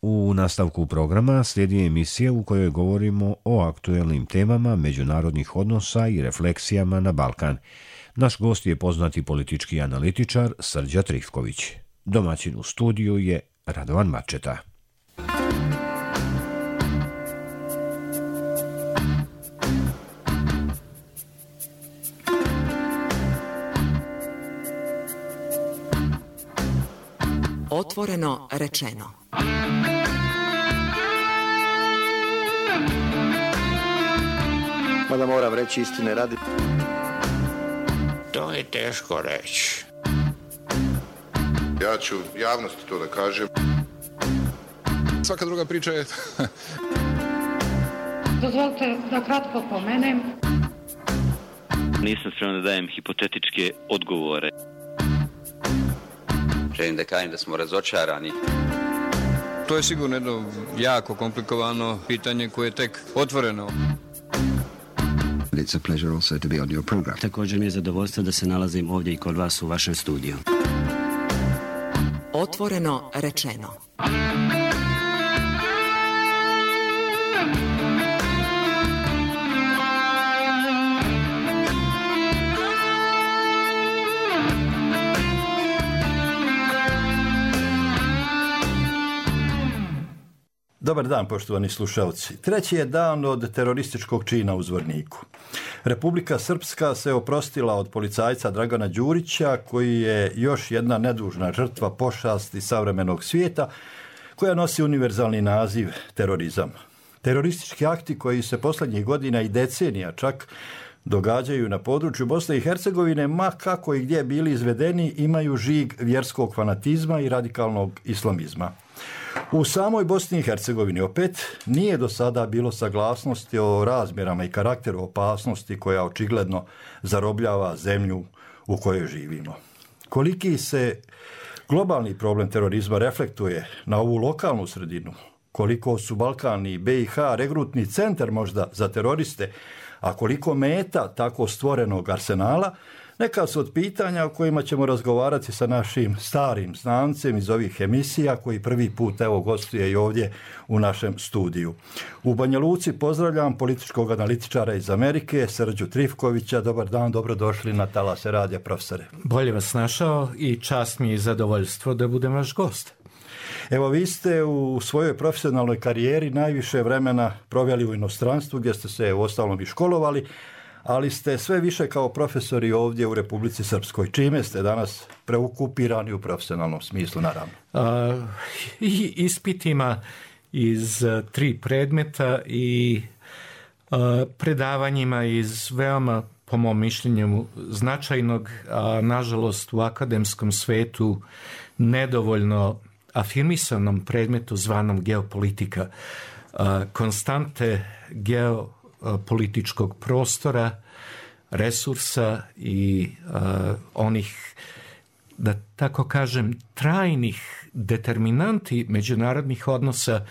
U nastavku programa slijedi emisija u kojoj govorimo o aktuelnim temama međunarodnih odnosa i refleksijama na Balkan. Naš gost je poznati politički analitičar Srđa Trifković. Domaćin u studiju je Radovan Mačeta. Otvoreno rečeno. Mada moram reći istine radi. To je teško reći. Ja ću javnosti to da kažem. Svaka druga priča je... Dozvolite da kratko pomenem. Nisam spreman da dajem hipotetičke odgovore. Želim da kažem da smo razočarani. To je sigurno jedno jako komplikovano pitanje koje je tek otvoreno. It's a pleasure also to be on your program. Također mi je zadovoljstvo da se nalazim ovdje i kod vas u vašem studiju. Otvoreno rečeno. Dobar dan, poštovani slušalci. Treći je dan od terorističkog čina u Zvorniku. Republika Srpska se oprostila od policajca Dragana Đurića, koji je još jedna nedužna žrtva pošasti savremenog svijeta, koja nosi univerzalni naziv terorizam. Teroristički akti koji se posljednjih godina i decenija čak događaju na području Bosne i Hercegovine, ma kako i gdje bili izvedeni, imaju žig vjerskog fanatizma i radikalnog islamizma. U samoj Bosni i Hercegovini opet nije do sada bilo saglasnosti o razmjerama i karakteru opasnosti koja očigledno zarobljava zemlju u kojoj živimo. Koliki se globalni problem terorizma reflektuje na ovu lokalnu sredinu, koliko su Balkan i BiH regrutni centar možda za teroriste, a koliko meta tako stvorenog arsenala, neka su od pitanja o kojima ćemo razgovarati sa našim starim znancem iz ovih emisija, koji prvi put gostuje i ovdje u našem studiju. U Banja Luci pozdravljam političkog analitičara iz Amerike, Srđu Trifkovića. Dobar dan, dobrodošli na Talase radija, profesore. Bolje vas našao i čast mi je i zadovoljstvo da budem vaš gost. Evo, vi ste u svojoj profesionalnoj karijeri najviše vremena proveli u inostranstvu, gdje ste se uostalom i školovali, ali ste sve više kao profesori ovdje u Republici Srpskoj. Čime ste danas preokupirani u profesionalnom smislu, naravno? I ispitima iz 3 predmeta i predavanjima iz veoma, po mom mišljenju, značajnog, a nažalost u akademskom svetu nedovoljno afirmisanom predmetu zvanom geopolitika. Konstante geopolitičkog prostora, resursa i onih, da tako kažem, trajnih determinanti međunarodnih odnosa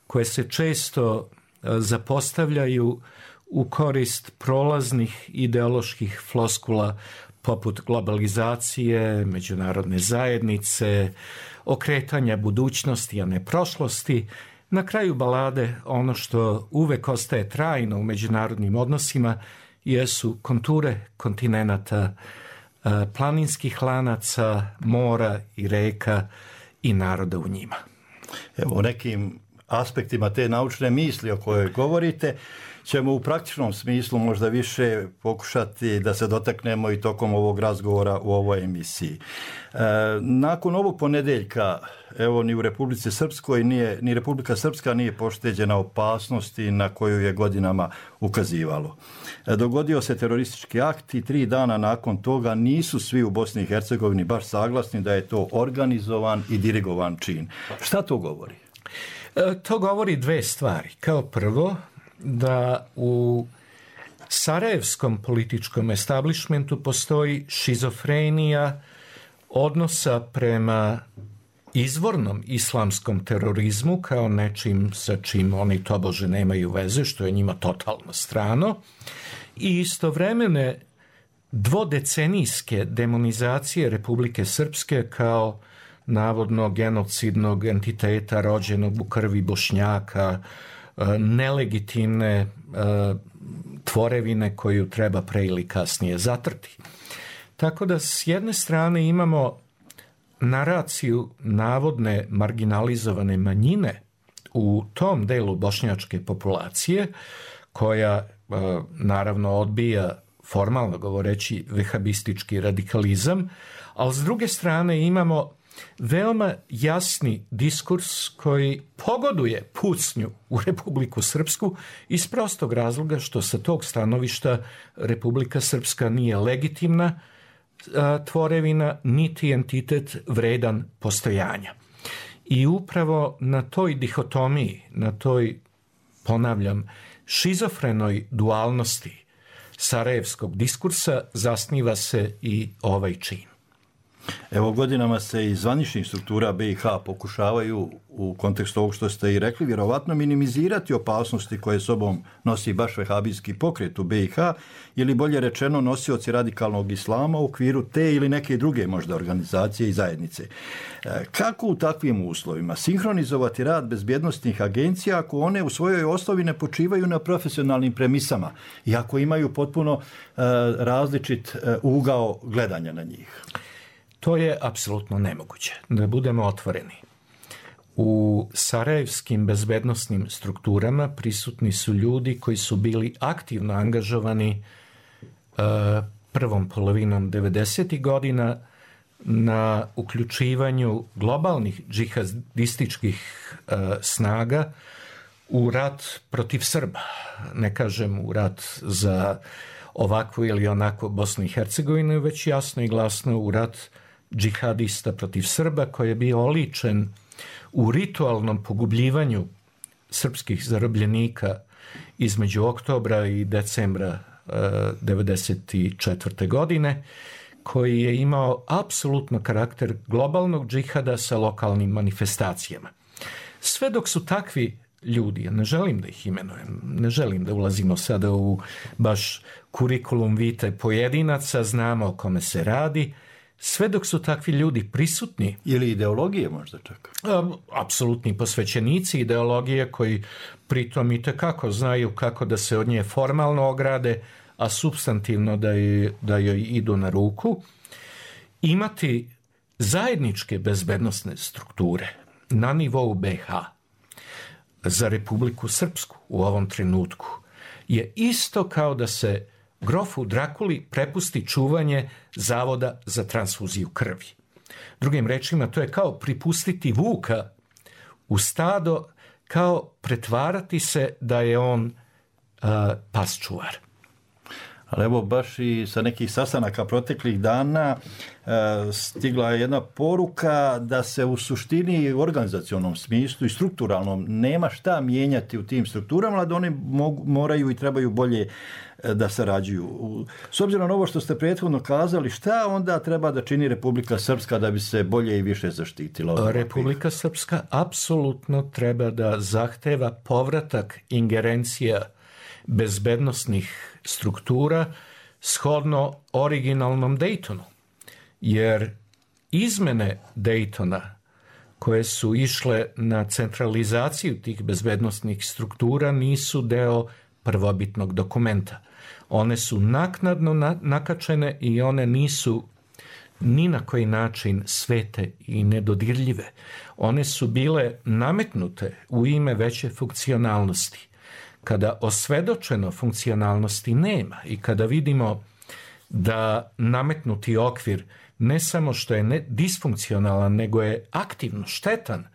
koje se često zapostavljaju u korist prolaznih ideoloških floskula poput globalizacije, međunarodne zajednice, okretanja budućnosti, a ne prošlosti. Na kraju balade ono što uvek ostaje trajno u međunarodnim odnosima jesu konture kontinenata, planinskih lanaca, mora i reka i naroda u njima. Evo, u nekim aspektima te naučne misli o kojoj govorite ćemo u praktičnom smislu možda više pokušati da se dotaknemo i tokom ovog razgovora u ovoj emisiji. Nakon ovog ponedjeljka, evo, ni u Republici Srpskoj ni Republika Srpska nije pošteđena opasnosti na koju je godinama ukazivalo. Dogodio se teroristički akt i 3 dana nakon toga nisu svi u Bosni i Hercegovini baš saglasni da je to organizovan i dirigovan čin. Šta to govori? To govori 2 stvari. Kao prvo, da u sarajevskom političkom establishmentu postoji šizofrenija odnosa prema izvornom islamskom terorizmu kao nečim sa čim oni tobože nemaju veze, što je njima totalno strano, i istovremene dvodecenijske demonizacije Republike Srpske kao navodno genocidnog entiteta rođenog u krvi Bošnjaka, nelegitimne tvorevine koju treba pre ili kasnije zatrti. Tako da s jedne strane imamo naraciju navodne marginalizovane manjine u tom delu bošnjačke populacije, koja naravno odbija, formalno govoreći, vehabistički radikalizam, ali s druge strane imamo veoma jasni diskurs koji pogoduje pucnju u Republiku Srpsku iz prostog razloga što sa tog stanovišta Republika Srpska nije legitimna tvorevina, niti entitet vredan postojanja. I upravo na toj dihotomiji, na toj, ponavljam, šizofrenoj dualnosti sarajevskog diskursa zasniva se i ovaj čin. Evo, godinama se iz zvaničnih struktura BiH pokušavaju, u kontekstu ovog što ste i rekli, vjerovatno minimizirati opasnosti koje sobom nosi baš vehabijski pokret u BiH, ili bolje rečeno nosioci radikalnog islama u okviru te ili neke druge možda organizacije i zajednice. Kako u takvim uslovima sinhronizovati rad bezbjednosnih agencija ako one u svojoj osnovi ne počivaju na profesionalnim premisama i ako imaju potpuno različit ugao gledanja na njih? To je apsolutno nemoguće, da budemo otvoreni. U sarajevskim bezbednosnim strukturama prisutni su ljudi koji su bili aktivno angažovani prvom polovinom 90. godina na uključivanju globalnih džihadističkih snaga u rat protiv Srba. Ne kažem u rat za ovakvu ili onakvu Bosnu i Hercegovinu, već jasno i glasno u rat džihadista protiv Srba, koji je bio oličen u ritualnom pogubljivanju srpskih zarobljenika između oktobra i decembra 1994. godine, koji je imao apsolutno karakter globalnog džihada sa lokalnim manifestacijama. Sve dok su takvi ljudi, ja ne želim da ih imenujem, ne želim da ulazimo sada u baš kurikulum vitae pojedinaca, znamo o kome se radi, sve dok su takvi ljudi prisutni. Ili ideologije možda čak? Apsolutni posvećenici ideologije koji pritom itekako znaju kako da se od nje formalno ograde, a supstantivno da joj idu na ruku. Imati zajedničke bezbednosne strukture na nivou BiH za Republiku Srpsku u ovom trenutku je isto kao da se grofu Drakuli prepusti čuvanje Zavoda za transfuziju krvi. Drugim rečima, to je kao pripustiti vuka u stado, kao pretvarati se da je on pasčuvar. Ali evo, baš i sa nekih sastanaka proteklih dana stigla je jedna poruka da se u suštini u organizacionom smislu i strukturalnom nema šta mijenjati u tim strukturama, ali da one moraju i trebaju bolje da sarađuju. S obzirom na ovo što ste prethodno kazali, šta onda treba da čini Republika Srpska da bi se bolje i više zaštitila? Republika Srpska apsolutno treba da zahteva povratak ingerencija bezbednosnih struktura shodno originalnom Daytonu. Jer izmene Daytona koje su išle na centralizaciju tih bezbednosnih struktura nisu deo prvobitnog dokumenta. One su naknadno nakačene i one nisu ni na koji način svete i nedodirljive. One su bile nametnute u ime veće funkcionalnosti. Kada osvedočeno funkcionalnosti nema i kada vidimo da nametnuti okvir ne samo što je disfunkcionalan, nego je aktivno štetan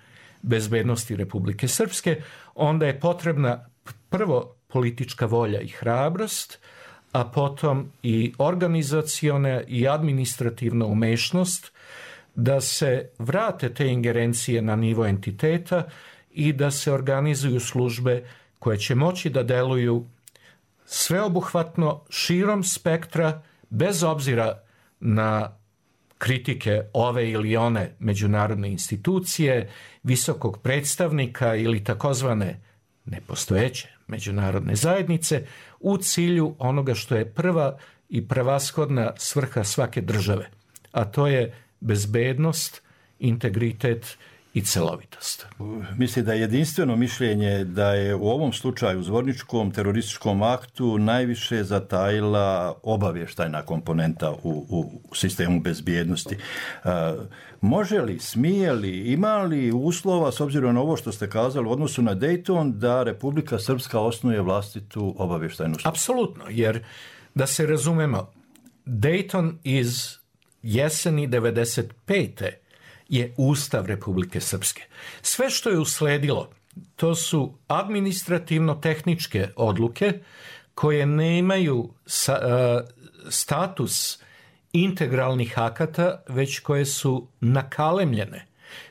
bezbednosti Republike Srpske, onda je potrebna prvo politička volja i hrabrost, a potom i organizaciona i administrativna umešnost da se vrate te ingerencije na nivo entiteta i da se organizuju službe koje će moći da deluju sveobuhvatno širom spektra, bez obzira na kritike ove ili one međunarodne institucije, visokog predstavnika ili takozvane nepostojeće međunarodne zajednice, u cilju onoga što je prva i prevashodna svrha svake države, a to je bezbednost integritet i celovitost. Mislim da je jedinstveno mišljenje da je u ovom slučaju zvorničkom terorističkom aktu najviše zatajila obavještajna komponenta u sistemu bezbjednosti. Može li, smije li, ima li uslova, s obzirom na ovo što ste kazali u odnosu na Dayton, da Republika Srpska osnuje vlastitu obavještajnu službu? Apsolutno, jer da se razumemo, Dayton iz jeseni 95. je Ustav Republike Srpske. Sve što je usledilo, to su administrativno-tehničke odluke koje nemaju status integralnih akata, već koje su nakalemljene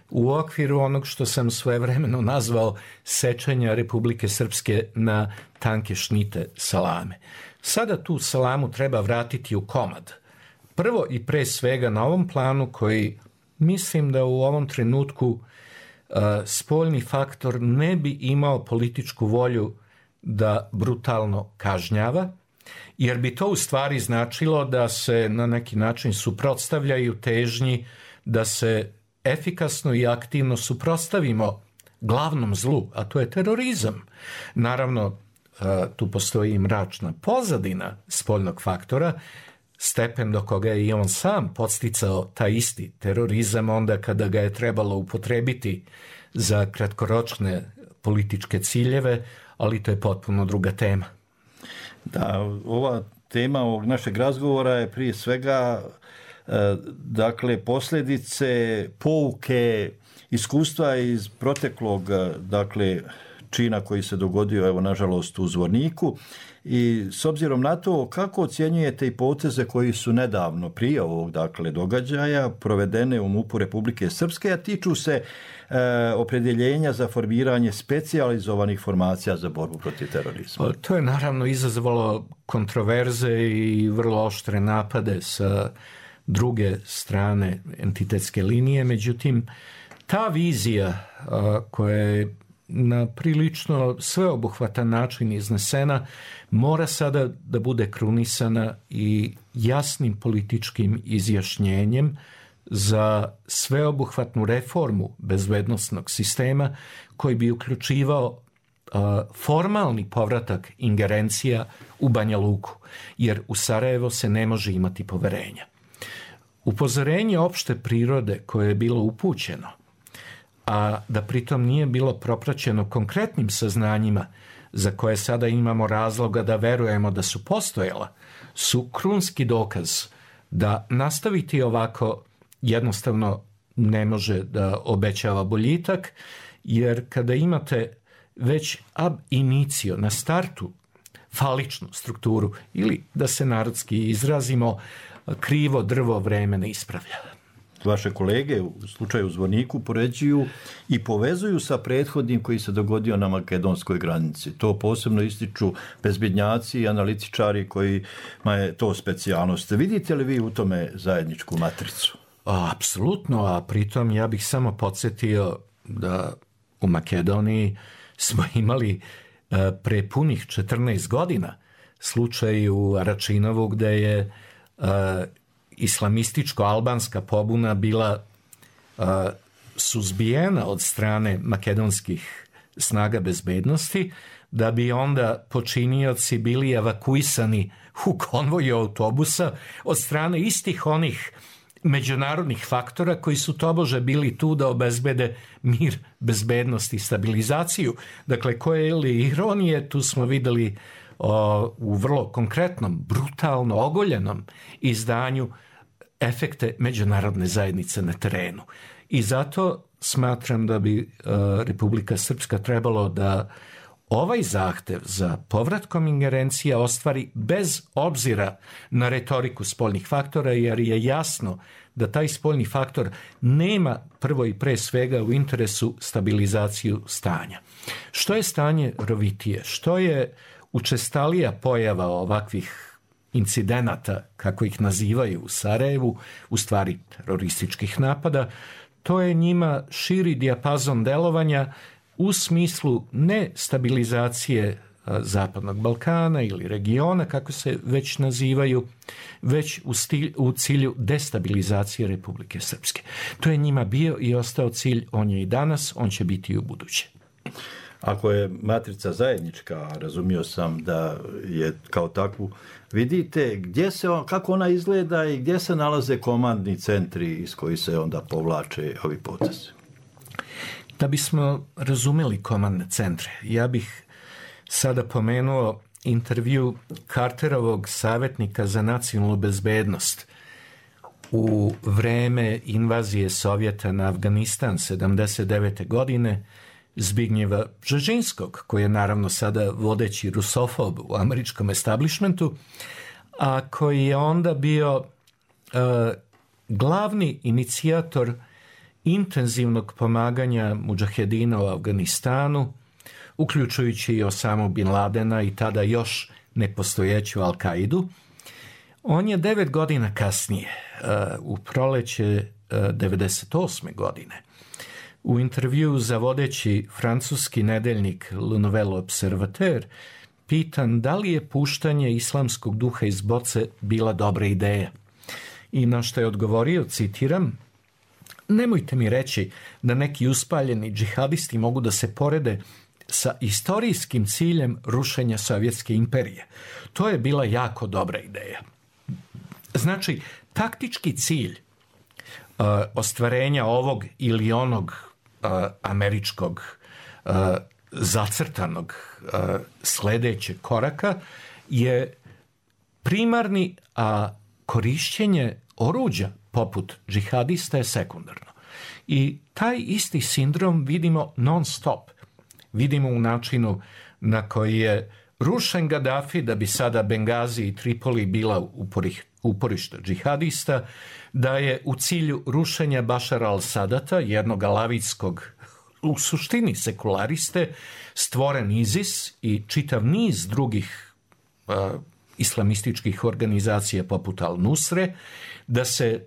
u okviru onog što sam svojevremeno nazvao sečenja Republike Srpske na tanke šnite salame. Sada tu salamu treba vratiti u komad. Prvo i pre svega na ovom planu koji mislim da u ovom trenutku spoljni faktor ne bi imao političku volju da brutalno kažnjava, jer bi to u stvari značilo da se na neki način suprotstavljaju težnji da se efikasno i aktivno suprotstavimo glavnom zlu, a to je terorizam. Naravno, tu postoji i mračna pozadina spoljnog faktora, stepen do koga je i on sam podsticao taj isti terorizam onda kada ga je trebalo upotrebiti za kratkoročne političke ciljeve, ali to je potpuno druga tema. Da, ova tema ovog našeg razgovora je prije svega dakle posljedice, pouke, iskustva iz proteklog dakle čina koji se dogodio, evo nažalost, u Zvorniku. I s obzirom na to, kako ocjenjujete i poteze koji su nedavno prije ovog dakle događaja provedene u MUP-u Republike Srpske, a tiču se opredjeljenja za formiranje specijalizovanih formacija za borbu protiv terorizma? To je naravno izazvalo kontroverze i vrlo oštre napade sa druge strane entitetske linije, međutim ta vizija koja je na prilično sveobuhvatan način iznesena mora sada da bude krunisana i jasnim političkim izjašnjenjem za sveobuhvatnu reformu bezbednosnog sistema koji bi uključivao formalni povratak ingerencija u Banja Luku, jer u Sarajevo se ne može imati poverenja. Upozorenje opšte prirode koje je bilo upućeno, a da pritom nije bilo propraćeno konkretnim saznanjima za koje sada imamo razloga da verujemo da su postojala, su krunski dokaz da nastaviti ovako jednostavno ne može da obećava boljitak, jer kada imate već ab initio na startu faličnu strukturu, ili da se narodski izrazimo, krivo drvo vreme ne ispravlja. Vaše kolege u slučaju Zvorniku poređuju i povezuju sa prethodnim koji se dogodio na makedonskoj granici. To posebno ističu bezbednjaci i analitičari kojima je to specijalnost. Vidite li vi u tome zajedničku matricu? Apsolutno, a pritom ja bih samo podsjetio da u Makedoniji smo imali pre punih 14 godina slučaj u Aračinovu gde je islamističko-albanska pobuna bila suzbijena od strane makedonskih snaga bezbednosti, da bi onda počinioci bili evakuisani u konvoju autobusa od strane istih onih međunarodnih faktora koji su tobože bili tu da obezbede mir, bezbednost i stabilizaciju. Dakle, koje li ironije, tu smo videli u vrlo konkretnom, brutalno ogoljenom izdanju efekte međunarodne zajednice na terenu. I zato smatram da bi Republika Srpska trebalo da ovaj zahtev za povratkom ingerencija ostvari bez obzira na retoriku spoljnih faktora, jer je jasno da taj spoljni faktor nema prvo i pre svega u interesu stabilizaciju stanja. Što je stanje rovitije, što je učestalija pojava ovakvih incidenata, kako ih nazivaju u Sarajevu, u stvari terorističkih napada, to je njima širi dijapazon delovanja u smislu ne stabilizacije Zapadnog Balkana ili regiona, kako se već nazivaju, već u cilju destabilizacije Republike Srpske. To je njima bio i ostao cilj, on je i danas, on će biti i u buduće. Ako je matrica zajednička, razumio sam da je kao takvu, vidite kako ona izgleda i gdje se nalaze komandni centri iz kojih se onda povlače ovi potezi? Da bismo razumeli komandne centre, ja bih sada pomenuo intervju Carterovog savjetnika za nacionalnu bezbednost u vreme invazije Sovjeta na Afganistan 79. godine, Zbignjeva Bžežinskog, koji je naravno sada vodeći rusofob u američkom establishmentu, a koji je onda bio glavni inicijator intenzivnog pomaganja mudžahedina u Afganistanu, uključujući i Osamu Bin Ladena i tada još nepostojeću Al-Kaidu. On je 9 godina kasnije, u proleće 98. godine, u intervju za vodeći francuski nedeljnik Le Nouvel Observateur pitan da li je puštanje islamskog duha iz boce bila dobra ideja. I na što je odgovorio, citiram, nemojte mi reći da neki uspaljeni džihadisti mogu da se porede sa istorijskim ciljem rušenja Sovjetske imperije. To je bila jako dobra ideja. Znači, taktički cilj ostvarenja ovog ili onog američkog zacrtanog sledećeg koraka je primarni, a korišćenje oruđa poput džihadista je sekundarno. I taj isti sindrom vidimo non stop. Vidimo u načinu na koji je rušen Gaddafi da bi sada Bengazi i Tripoli bila uporište džihadista, da je u cilju rušenja Bašara al-Sadata, jednog alavijskog, u suštini sekulariste, stvoren ISIS i čitav niz drugih islamističkih organizacija poput Al-Nusre, da se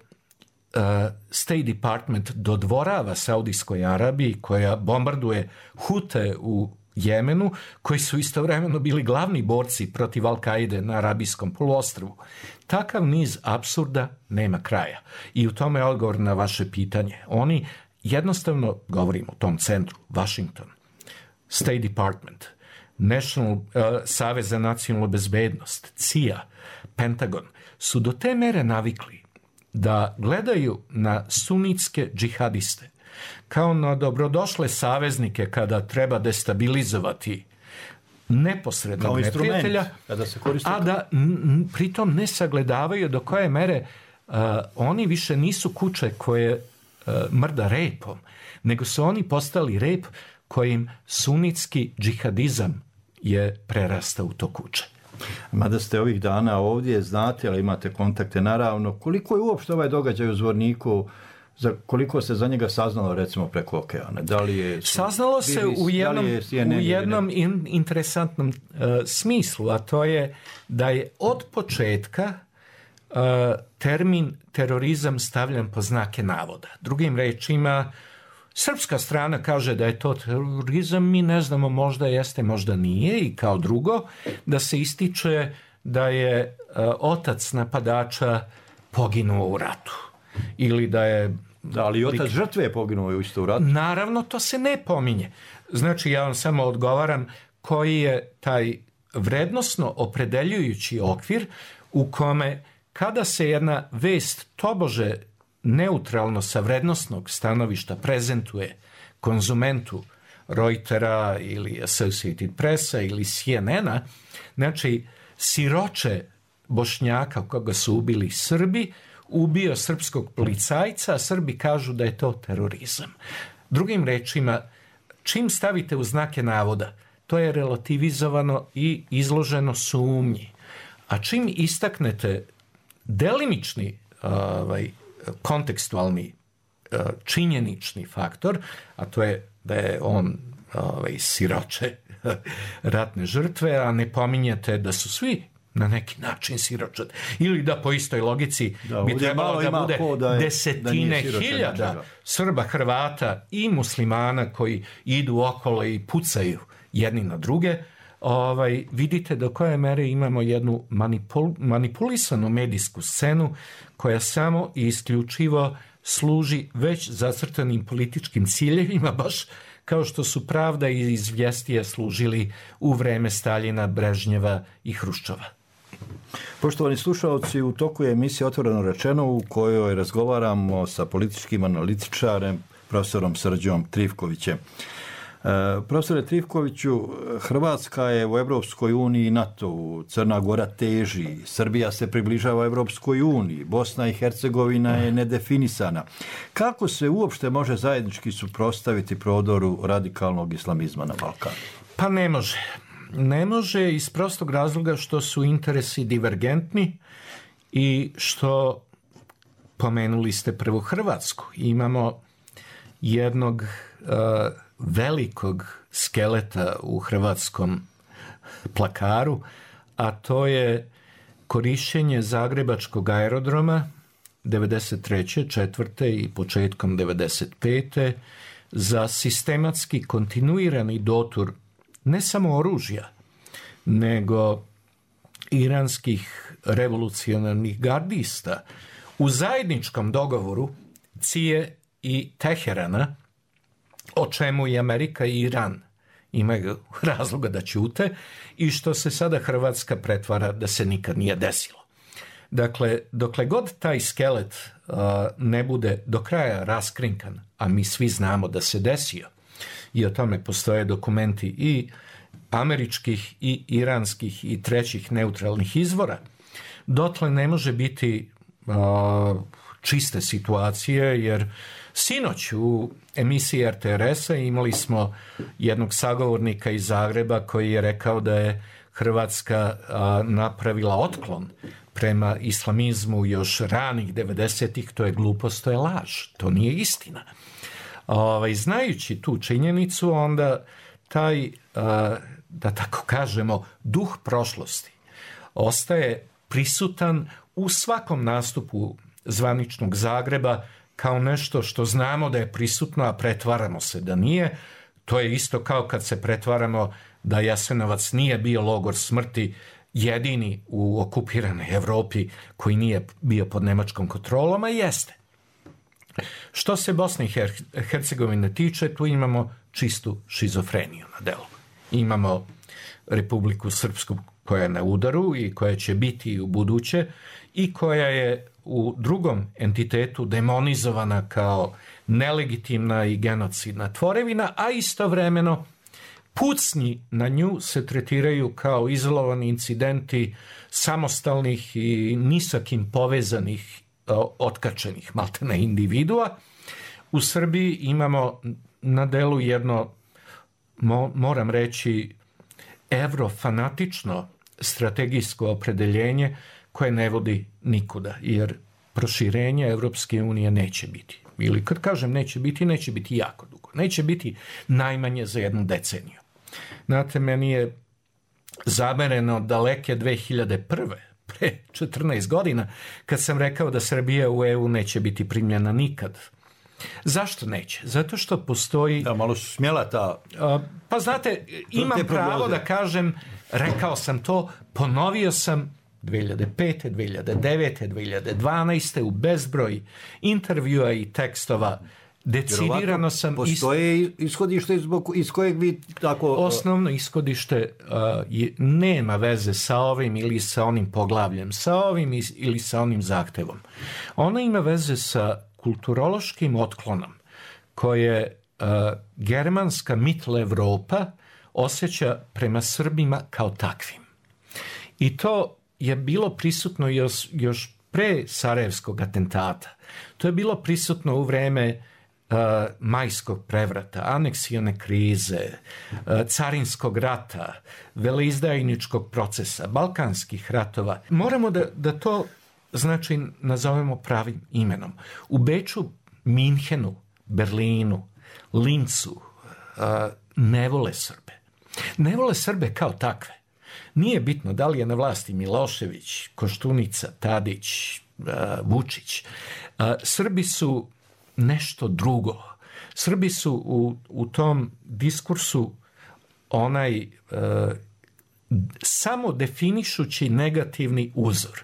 State Department dodvorava Saudijskoj Arabiji koja bombarduje Hute u Jemenu, koji su istovremeno bili glavni borci protiv Al-Kaide na Arabijskom poluostrvu. Takav niz apsurda nema kraja. I u tome je odgovor na vaše pitanje. Oni jednostavno, govorimo o tom centru, Washington, State Department, Savez za nacionalnu bezbednost, CIA, Pentagon, su do te mere navikli da gledaju na sunitske džihadiste kao na dobrodošle saveznike kada treba destabilizovati neposrednog neprijatelja, a da pritom ne sagledavaju do koje mere oni više nisu kuće koje mrda repom, nego su oni postali rep kojim sunitski džihadizam je prerastao u to kuće. Mada ste ovih dana ovdje, znate, ali imate kontakte naravno, koliko je uopšte ovaj događaj u Zvorniku, koliko se za njega saznalo recimo preko okeana? Da li je saznalo se u jednom interesantnom smislu, a to je da je od početka termin terorizam stavljan po znake navoda. Drugim rečima, srpska strana kaže da je to terorizam, mi ne znamo, možda jeste, možda nije, i kao drugo, da se ističe da je otac napadača poginuo u ratu. Ili da je... Da, ali i otac žrtve je poginuo isto u ratu. Naravno, to se ne pominje. Znači, ja vam samo odgovaram koji je taj vrednosno opredeljujući okvir u kome kada se jedna vest tobože neutralno sa vrednosnog stanovišta prezentuje konzumentu Reutera ili Associated Pressa ili CNN-a, znači siroče Bošnjaka koga su ubili Srbi, ubio srpskog policajca, a Srbi kažu da je to terorizam. Drugim rečima, čim stavite u znake navoda, to je relativizovano i izloženo sumnji. A čim istaknete delimični kontekstualni činjenični faktor, a to je da je on siroče ratne žrtve, a ne pominjete da su svi na neki način siroče. Ili da po istoj logici bi trebalo da bude desetine hiljada Srba, Hrvata i muslimana koji idu okolo i pucaju jedni na druge, vidite do koje mere imamo jednu manipulisanu medijsku scenu koja samo i isključivo služi već zacrtanim političkim ciljevima, baš kao što su Pravda i Izvjestije služili u vreme Staljina, Brežnjeva i Hruščova. Poštovani slušalci, u toku je emisija Otvoreno rečeno u kojoj razgovaramo sa političkim analitičarem profesorom Srđom Trivkovićem. Profesore Trivkoviću, Hrvatska je u Evropskoj uniji i NATO-u, Crna Gora teži, Srbija se približava Evropskoj uniji, Bosna i Hercegovina je nedefinisana. Kako se uopšte može zajednički suprotstaviti prodoru radikalnog islamizma na Balkanu? Pa ne može. Ne može iz prostog razloga što su interesi divergentni i što, pomenuli ste prvo Hrvatsku, imamo jednog velikog skeleta u hrvatskom plakaru, a to je korišćenje Zagrebačkog aerodroma 93. 4. i početkom 95. za sistematski kontinuirani dotur ne samo oružja, nego iranskih revolucionarnih gardista u zajedničkom dogovoru Cije i Teherana, o čemu i Amerika i Iran imaju razloga da ćute i što se sada Hrvatska pretvara da se nikad nije desilo. Dakle, dokle god taj skelet ne bude do kraja raskrinkan, a mi svi znamo da se desio, i o tome postoje dokumenti i američkih i iranskih i trećih neutralnih izvora, dotle ne može biti čiste situacije, jer sinoć u emisiji RTRS-a imali smo jednog sagovornika iz Zagreba koji je rekao da je Hrvatska napravila otklon prema islamizmu još ranih 90-ih. To je glupost, to je laž, to nije istina. Znajući tu činjenicu, onda taj, da tako kažemo, duh prošlosti ostaje prisutan u svakom nastupu zvaničnog Zagreba kao nešto što znamo da je prisutno, a pretvaramo se da nije. To je isto kao kad se pretvaramo da Jasenovac nije bio logor smrti, jedini u okupiranoj Evropi koji nije bio pod nemačkom kontrolom, a jeste. Što se Bosne i Hercegovine tiče, tu imamo čistu šizofreniju na delu. Imamo Republiku Srpsku koja je na udaru i koja će biti u buduće i koja je u drugom entitetu demonizovana kao nelegitimna i genocidna tvorevina, a istovremeno pucnji na nju se tretiraju kao izolovani incidenti samostalnih i ni sa kim povezanih otkačenih maltene individua. U Srbiji imamo na delu jedno, moram reći, evrofanatično strategijsko opredeljenje koje ne vodi nikuda, jer proširenje Evropske unije neće biti. Ili kad kažem neće biti jako dugo. Neće biti najmanje za jednu deceniju. Znate, meni je zamereno daleke 2001. pre 14 godina, kad sam rekao da Srbija u EU neće biti primljena nikad. Zašto neće? Zato što postoji... Da, malo su smjela ta... Pa znate, imam pravo da kažem, rekao sam to, ponovio sam 2005. 2009. 2012. u bezbroj intervjua i tekstova. Decidirano sam... Postoje ishodište iz kojeg vi tako... Osnovno ishodište nema veze sa ovim ili sa onim poglavljem, sa ovim ili sa onim zahtevom. Ona ima veze sa kulturološkim otklonom koje germanska mitla Evropa osjeća prema Srbima kao takvim. I to je bilo prisutno još pre Sarajevskog atentata. To je bilo prisutno u vreme majskog prevrata, aneksione krize, carinskog rata, veleizdajničkog procesa, balkanskih ratova. Moramo da to, znači, nazovemo pravim imenom. U Beču, Minhenu, Berlinu, Lincu ne vole Srbe. Ne vole Srbe kao takve. Nije bitno da li je na vlasti Milošević, Koštunica, Tadić, Vučić. Srbi su nešto drugo. Srbi su u tom diskursu onaj samo definišući negativni uzor.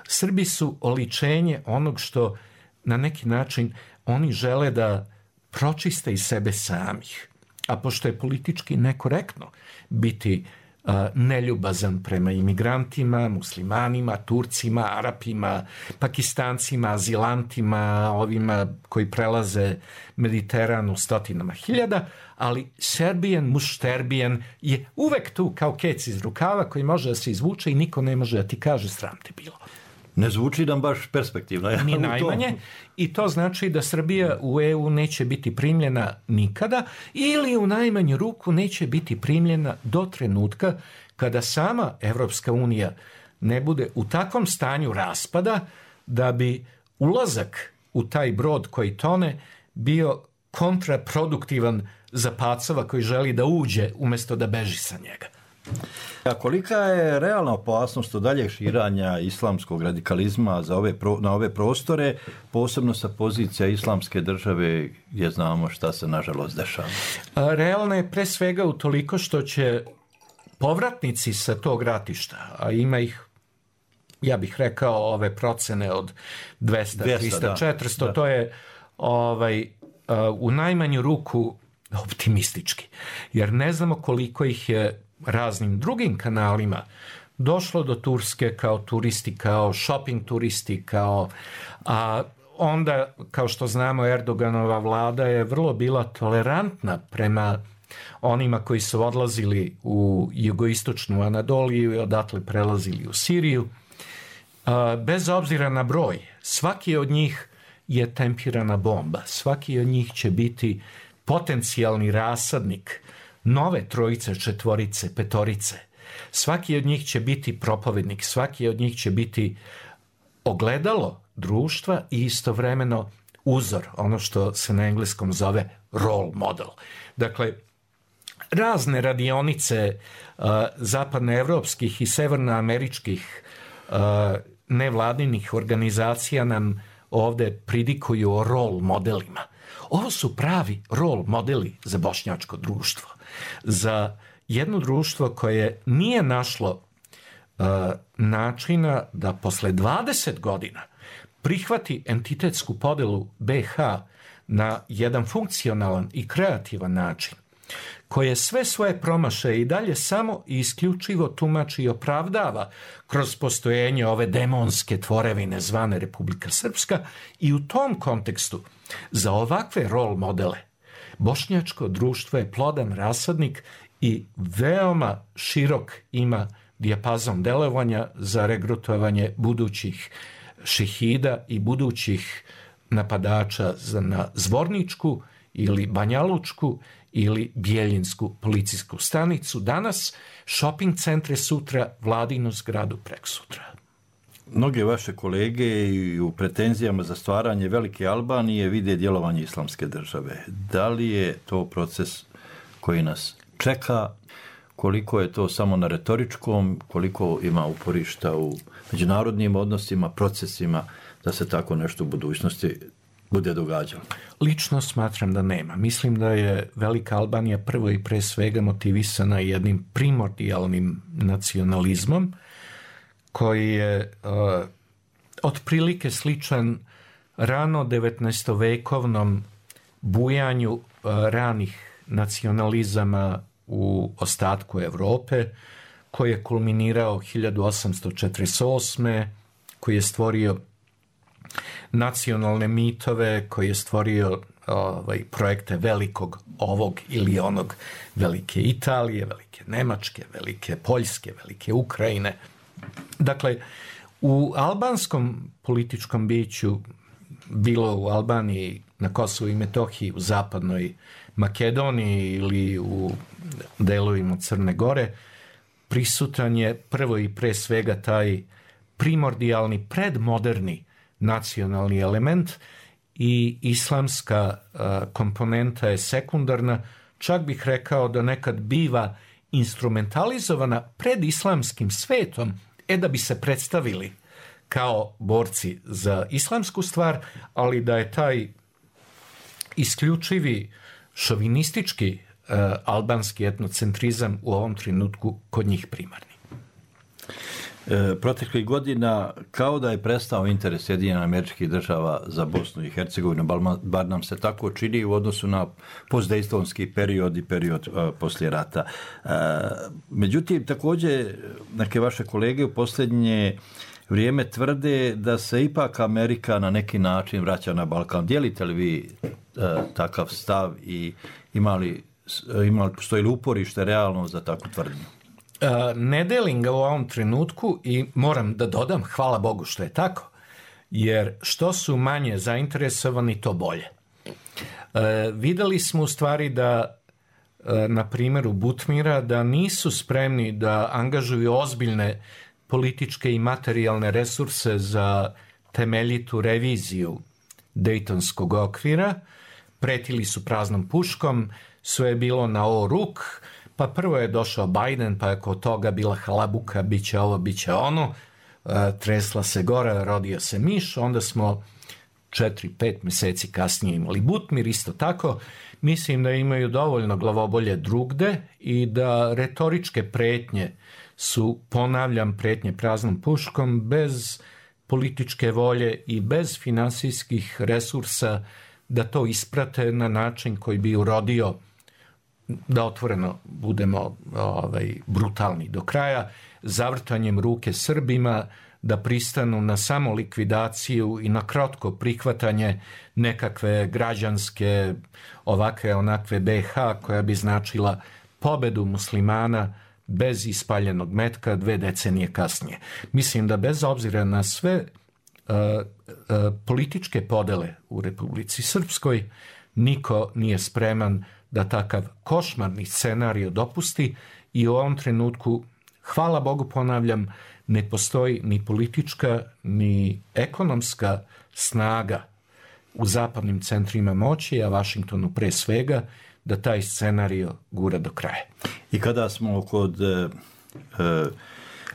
Srbi su oličenje onog što na neki način oni žele da pročiste iz sebe samih. A pošto je politički nekorektno biti neljubazan prema imigrantima, muslimanima, Turcima, Arapima, Pakistancima, azilantima, ovima koji prelaze Mediteran u stotinama hiljada, ali Serbijan, mušterbijan je uvek tu kao kec iz rukava koji može da se izvuče i niko ne može da ti kaže sram te bilo. Ne zvuči nam baš perspektivno. Ja, ni najmanje. I to znači da Srbija u EU neće biti primljena nikada ili u najmanju ruku neće biti primljena do trenutka kada sama Evropska unija ne bude u takvom stanju raspada da bi ulazak u taj brod koji tone bio kontraproduktivan za pacova koji želi da uđe umjesto da beži sa njega. A kolika je realna opasnost od daljeg širanja islamskog radikalizma na ove prostore, posebno sa pozicija islamske države gdje znamo šta se nažalost dešava? Realna je pre svega utoliko što će povratnici sa tog ratišta, a ima ih, ja bih rekao, ove procene od 200, 300, 400, to je u najmanju ruku optimistički. Jer ne znamo koliko ih je raznim drugim kanalima došlo do Turske kao turisti, kao shopping turisti, a onda, kao što znamo, Erdoganova vlada je vrlo bila tolerantna prema onima koji su odlazili u jugoistočnu Anadoliju i odatle prelazili u Siriju. Bez obzira na broj, svaki od njih je tempirana bomba, svaki od njih će biti potencijalni rasadnik nove trojice, četvorice, petorice. Svaki od njih će biti propovednik, svaki od njih će biti ogledalo društva i istovremeno uzor, ono što se na engleskom zove role model. Dakle, razne radionice zapadnoevropskih i severnoameričkih nevladinih organizacija nam ovde pridikuju o role modelima. Ovo su pravi role modeli za bošnjačko društvo. Za jedno društvo koje nije našlo načina da posle 20 godina prihvati entitetsku podelu BiH na jedan funkcionalan i kreativan način, koje sve svoje promašaje i dalje samo i isključivo tumači i opravdava kroz postojanje ove demonske tvorevine zvane Republika Srpska, i u tom kontekstu za ovakve role modele bošnjačko društvo je plodan rasadnik i veoma širok ima dijapazon delovanja za regrutovanje budućih šehida i budućih napadača na Zvorničku ili Banjalučku ili Bijeljinsku policijsku stanicu danas, shopping centre sutra, vladinu zgradu preksutra. Mnoge vaše kolege i u pretenzijama za stvaranje Velike Albanije vide djelovanje islamske države. Da li je to proces koji nas čeka? Koliko je to samo na retoričkom? Koliko ima uporišta u međunarodnim odnosima, procesima da se tako nešto u budućnosti bude događalo? Lično smatram da nema. Mislim da je Velika Albanija prvo i pre svega motivisana jednim primordijalnim nacionalizmom koji je otprilike sličan rano 19-vekovnom bujanju ranih nacionalizama u ostatku Evrope, koji je kulminirao 1848. koji je stvorio nacionalne mitove, koji je stvorio projekte velikog ovog ili onog, velike Italije, velike Nemačke, velike Poljske, velike Ukrajine. Dakle, u albanskom političkom biću, bilo u Albaniji, na Kosovu i Metohiji, u zapadnoj Makedoniji ili u delovima Crne Gore, prisutan je prvo i pre svega taj primordijalni, predmoderni nacionalni element i islamska komponenta je sekundarna, čak bih rekao da nekad biva instrumentalizovana pred islamskim svetom, da bi se predstavili kao borci za islamsku stvar, ali da je taj isključivi šovinistički albanski etnocentrizam u ovom trenutku kod njih primarni. Proteklih godina kao da je prestao interes Sjedinjenih Američkih Država za Bosnu i Hercegovinu, bar nam se tako čini u odnosu na postdejstonski period i period poslije rata. Međutim, također neke vaše kolege u posljednje vrijeme tvrde da se ipak Amerika na neki način vraća na Balkan. Dijelite li vi takav stav i postoji li uporište realno za takvu tvrdnju? Ne delim ga u ovom trenutku i moram da dodam, hvala Bogu što je tako, jer što su manje zainteresovani, to bolje. Videli smo u stvari da, na primjeru Butmira, da nisu spremni da angažuju ozbiljne političke i materijalne resurse za temeljitu reviziju Dejtonskog okvira. Pretili su praznom puškom, sve je bilo na o ruk, pa prvo je došao Biden, pa je kod toga bila halabuka, bit će ovo, bit će ono, tresla se gora, rodio se miš, onda smo 4-5 mjeseci kasnije imali Butmir, isto tako. Mislim da imaju dovoljno glavobolje drugde i da retoričke pretnje su, ponavljam, pretnje praznom puškom, bez političke volje i bez finansijskih resursa da to isprate na način koji bi urodio, da otvoreno budemo brutalni do kraja, zavrtanjem ruke Srbima, da pristanu na samo likvidaciju i na kratko prihvatanje nekakve građanske ovakve onakve BiH koja bi značila pobedu muslimana bez ispaljenog metka 2 decenije kasnije. Mislim da bez obzira na sve političke podele u Republici Srpskoj, niko nije spreman da takav košmarni scenarij dopusti i u ovom trenutku, hvala Bogu, ponavljam, ne postoji ni politička ni ekonomska snaga u zapadnim centrima moći, a Vašingtonu pre svega, da taj scenario gura do kraja. I kada smo kod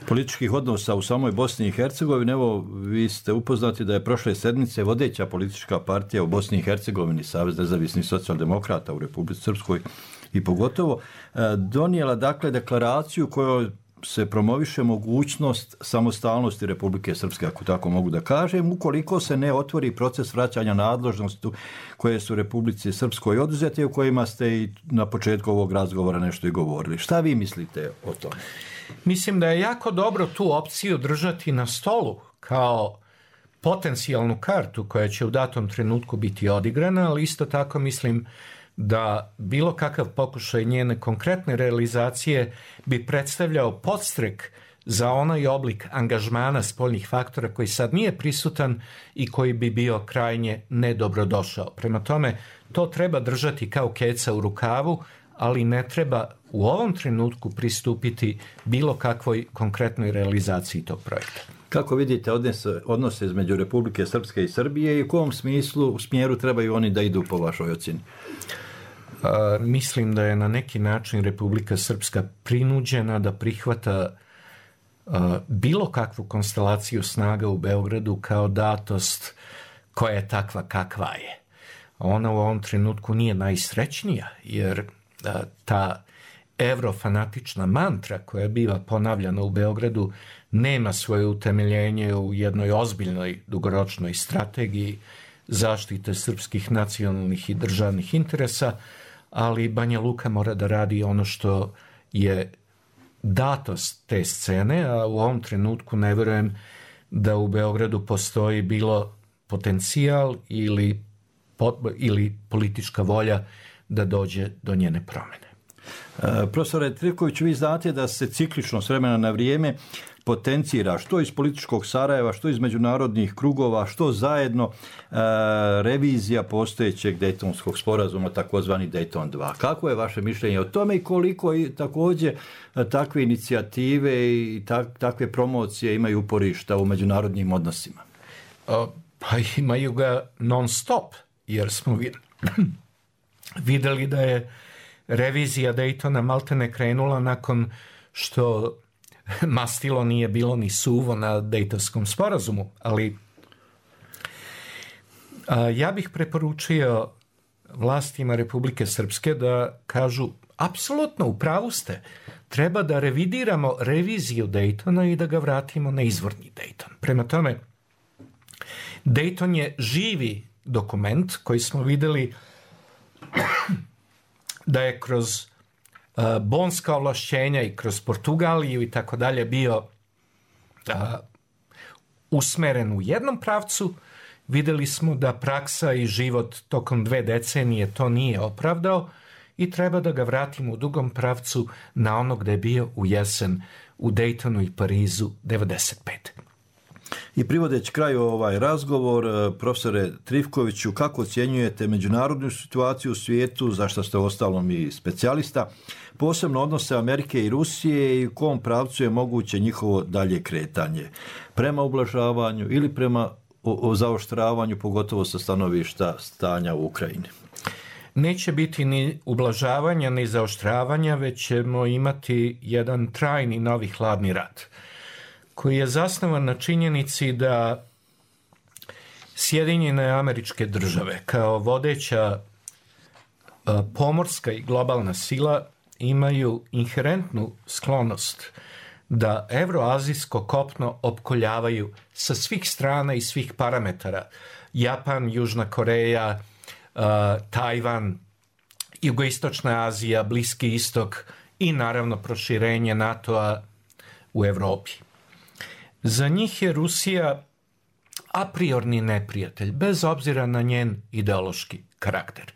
političkih odnosa u samoj Bosni i Hercegovini, evo, vi ste upoznati da je prošle sedmice vodeća politička partija u Bosni i Hercegovini, Savez nezavisnih socijaldemokrata u Republici Srpskoj i pogotovo, donijela dakle deklaraciju kojoj se promoviše mogućnost samostalnosti Republike Srpske, ako tako mogu da kažem, ukoliko se ne otvori proces vraćanja nadležnosti koje su Republici Srpskoj oduzete, u kojima ste i na početku ovog razgovora nešto i govorili. Šta vi mislite o tome? Mislim da je jako dobro tu opciju držati na stolu kao potencijalnu kartu koja će u datom trenutku biti odigrana, ali isto tako mislim da bilo kakav pokušaj njene konkretne realizacije bi predstavljao podstrek za onaj oblik angažmana spoljnih faktora koji sad nije prisutan i koji bi bio krajnje nedobrodošao. Prema tome, to treba držati kao keca u rukavu, ali ne treba u ovom trenutku pristupiti bilo kakvoj konkretnoj realizaciji tog projekta. Kako vidite odnose između Republike Srpske i Srbije i u kom smjeru trebaju oni da idu po vašoj ocjeni? Mislim da je na neki način Republika Srpska prinuđena da prihvata bilo kakvu konstelaciju snaga u Beogradu kao datost koja je takva kakva je. Ona u ovom trenutku nije najsrećnija, jer ta evrofanatična mantra koja biva ponavljana u Beogradu nema svoje utemeljenje u jednoj ozbiljnoj dugoročnoj strategiji zaštite srpskih nacionalnih i državnih interesa, ali Banja Luka mora da radi ono što je datost te scene, a u ovom trenutku ne vjerujem da u Beogradu postoji bilo potencijal ili politička volja da dođe do njene promjene. Profesore Trivković, vi znate da se ciklično s vremena na vrijeme potencira što iz političkog Sarajeva, što iz međunarodnih krugova, što zajedno revizija postojećeg Dejtonskog sporazuma, takozvani Dejton 2. Kako je vaše mišljenje o tome i koliko i također takve inicijative i takve promocije imaju uporišta u međunarodnim odnosima? Pa imaju ga non stop, jer smo vidjeli da je revizija Dejtona maltene krenula nakon što mastilo nije bilo ni suvo na Dejtonskom sporazumu, ali ja bih preporučio vlastima Republike Srpske da kažu apsolutno u pravu ste, treba da revidiramo reviziju Daytona i da ga vratimo na izvorni Dayton. Prema tome, Dayton je živi dokument koji smo videli da je kroz bonska ovlašćenja i kroz Portugaliju i tako dalje bio usmeren u jednom pravcu. Videli smo da praksa i život tokom 2 decenije to nije opravdao i treba da ga vratimo u drugom pravcu na ono gde je bio u jesen u Daytonu i Parizu 95. I privodeći kraju ovaj razgovor, profesore Trifkoviću, kako ocjenjujete međunarodnu situaciju u svijetu, za što ste ostalom i specijalista, posebno odnose Amerike i Rusije i u kom pravcu je moguće njihovo dalje kretanje? Prema ublažavanju ili prema zaoštravanju, pogotovo sa stanovišta stanja u Ukrajini? Neće biti ni ublažavanja, ni zaoštravanja, već ćemo imati jedan trajni novi hladni rat, koji je zasnovan na činjenici da Sjedinjene Američke Države kao vodeća pomorska i globalna sila imaju inherentnu sklonost da evroazijsko kopno opkoljavaju sa svih strana i svih parametara. Japan, Južna Koreja, Tajvan, Jugoistočna Azija, Bliski istok i naravno proširenje NATO-a u Evropi. Za njih je Rusija a priorni neprijatelj, bez obzira na njen ideološki karakter.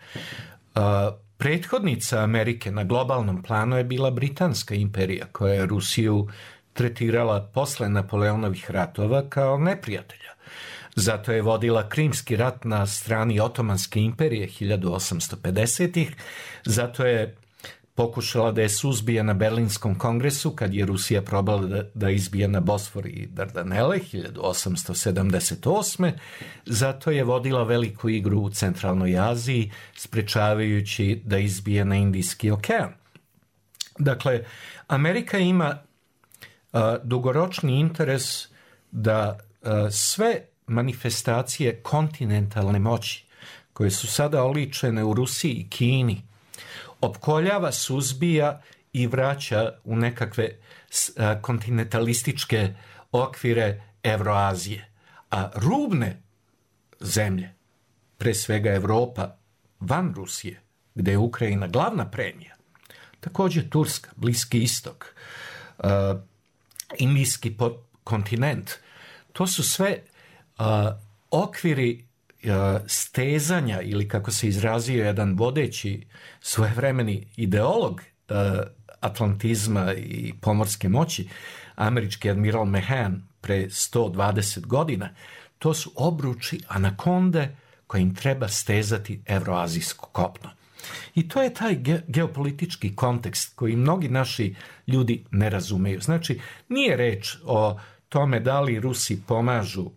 Prethodnica Amerike na globalnom planu je bila Britanska imperija, koja je Rusiju tretirala posle Napoleonovih ratova kao neprijatelja. Zato je vodila Krimski rat na strani Otomanske imperije 1850-ih, zato je pokušala da je suzbije na Berlinskom kongresu kad je Rusija probala da izbije na Bosfor i Dardanele 1878. Zato je vodila veliku igru u Centralnoj Aziji, sprečavajući da izbije na Indijski okean. Dakle, Amerika ima dugoročni interes da sve manifestacije kontinentalne moći, koje su sada oličene u Rusiji i Kini, opkoljava, suzbija i vraća u nekakve kontinentalističke okvire Evroazije. A rubne zemlje, pre svega Evropa, van Rusije, gde je Ukrajina glavna premija, također Turska, Bliski istok, Indijski kontinent, to su sve okviri stezanja, ili kako se izrazio jedan vodeći svojevremeni ideolog atlantizma i pomorske moći, američki admiral Mahan pre 120 godina, to su obruči anakonde kojim treba stezati evroazijsko kopno. I to je taj geopolitički kontekst koji mnogi naši ljudi ne razumeju. Znači, nije reč o tome da li Rusi pomažu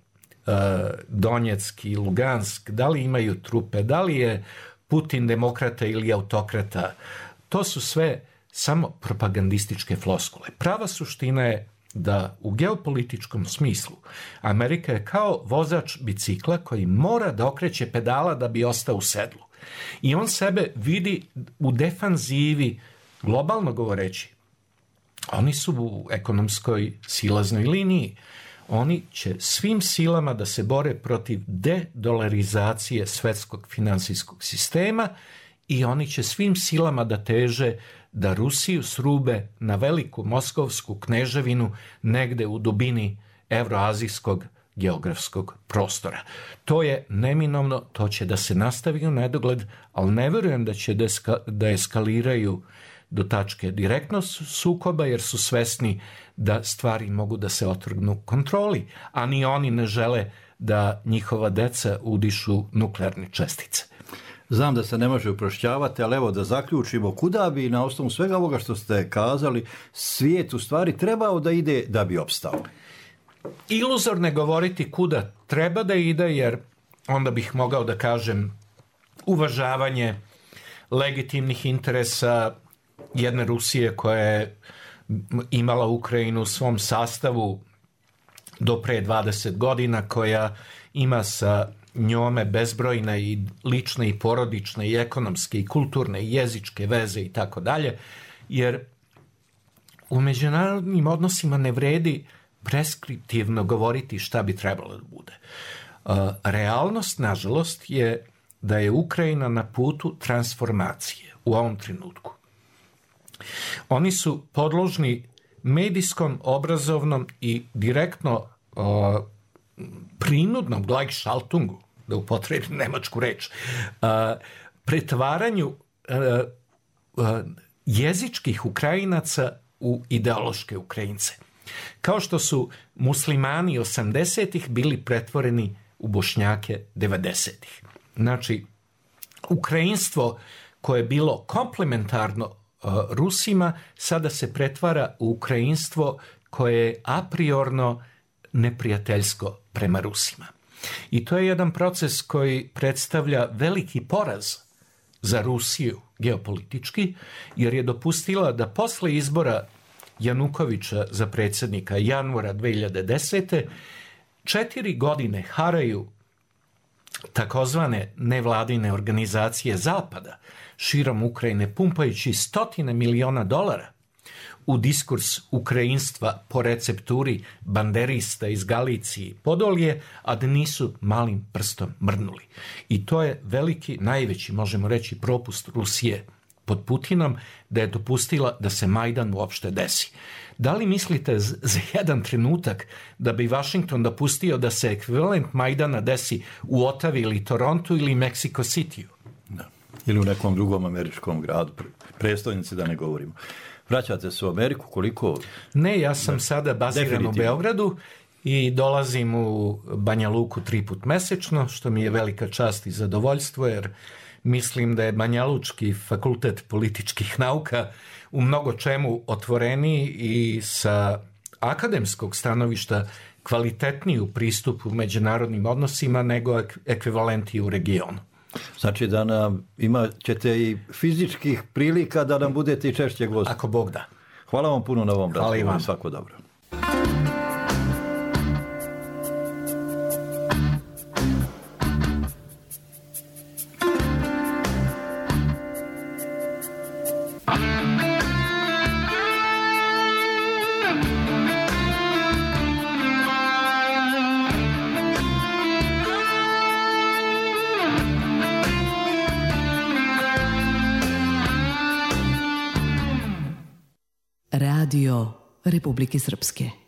Donjeck i Lugansk, da li imaju trupe, da li je Putin demokrata ili autokrata. To su sve samo propagandističke floskule. Prava suština je da u geopolitičkom smislu Amerika je kao vozač bicikla koji mora da okreće pedala da bi ostao u sedlu. I on sebe vidi u defanzivi, globalno govoreći. Oni su u ekonomskoj silaznoj liniji. Oni će svim silama da se bore protiv dedolarizacije svetskog finansijskog sistema i oni će svim silama da teže da Rusiju srube na veliku moskovsku kneževinu negde u dubini evroazijskog geografskog prostora. To je neminovno, to će da se nastavi u nedogled, ali ne verujem da će da eskaliraju do tačke direktnog sukoba, jer su svesni da stvari mogu da se otrgnu kontroli, a ni oni ne žele da njihova deca udišu nuklearne čestice. Znam da se ne može uprošćavati, ali evo da zaključimo, kuda bi na osnovu svega ovoga što ste kazali svijet u stvari trebao da ide da bi opstao? Iluzorno je govoriti kuda treba da ide, jer onda bih mogao da kažem uvažavanje legitimnih interesa jedne Rusije koja je imala Ukrajinu u svom sastavu do pre 20 godina, koja ima sa njome bezbrojne i lične i porodične i ekonomske i kulturne i jezičke veze i tako dalje, jer u međunarodnim odnosima ne vredi preskriptivno govoriti šta bi trebalo da bude. Realnost, nažalost, je da je Ukrajina na putu transformacije u ovom trenutku. Oni su podložni medijskom, obrazovnom i direktno prinudnom Gleichschaltungu, da upotrebim nemačku reč, pretvaranju jezičkih Ukrajinaca u ideološke Ukrajince. Kao što su muslimani 80-ih bili pretvoreni u Bošnjake 90-ih. Znači, Ukrajinstvo koje je bilo komplementarno Rusima sada se pretvara u Ukrajinstvo koje je a priorno neprijateljsko prema Rusima. I to je jedan proces koji predstavlja veliki poraz za Rusiju geopolitički, jer je dopustila da posle izbora Janukovića za predsjednika januara 2010. 4 godine haraju takozvane nevladine organizacije Zapada širom Ukrajine, pumpajući $100 miliona u diskurs ukrajinstva po recepturi banderista iz Galicije i Podolje, a da nisu malim prstom mrnuli. I to je veliki, najveći, možemo reći, propust Rusije pod Putinom, da je dopustila da se Majdan uopšte desi. Da li mislite za jedan trenutak da bi Washington dopustio da se ekvivalent Majdana desi u Ottavi ili Torontu ili Mexico Cityu? Da. Ili u nekom drugom američkom gradu, prestolnici da ne govorimo. Vraćate se u Ameriku, koliko? Ne, ja sam sada baziran u Beogradu i dolazim u Banja Luku 3 puta mesečno, što mi je velika čast i zadovoljstvo, jer mislim da je Banjalučki fakultet političkih nauka u mnogo čemu otvoreniji i sa akademskog stanovišta kvalitetniji u pristupu međunarodnim odnosima nego ekvivalenti u regionu. Znači da nam imat ćete i fizičkih prilika da nam budete i češće gosti. Ako Bog da. Hvala vam puno na ovom razgovoru. Hvala i vam. Svako dobro. Radio Republike Srpske.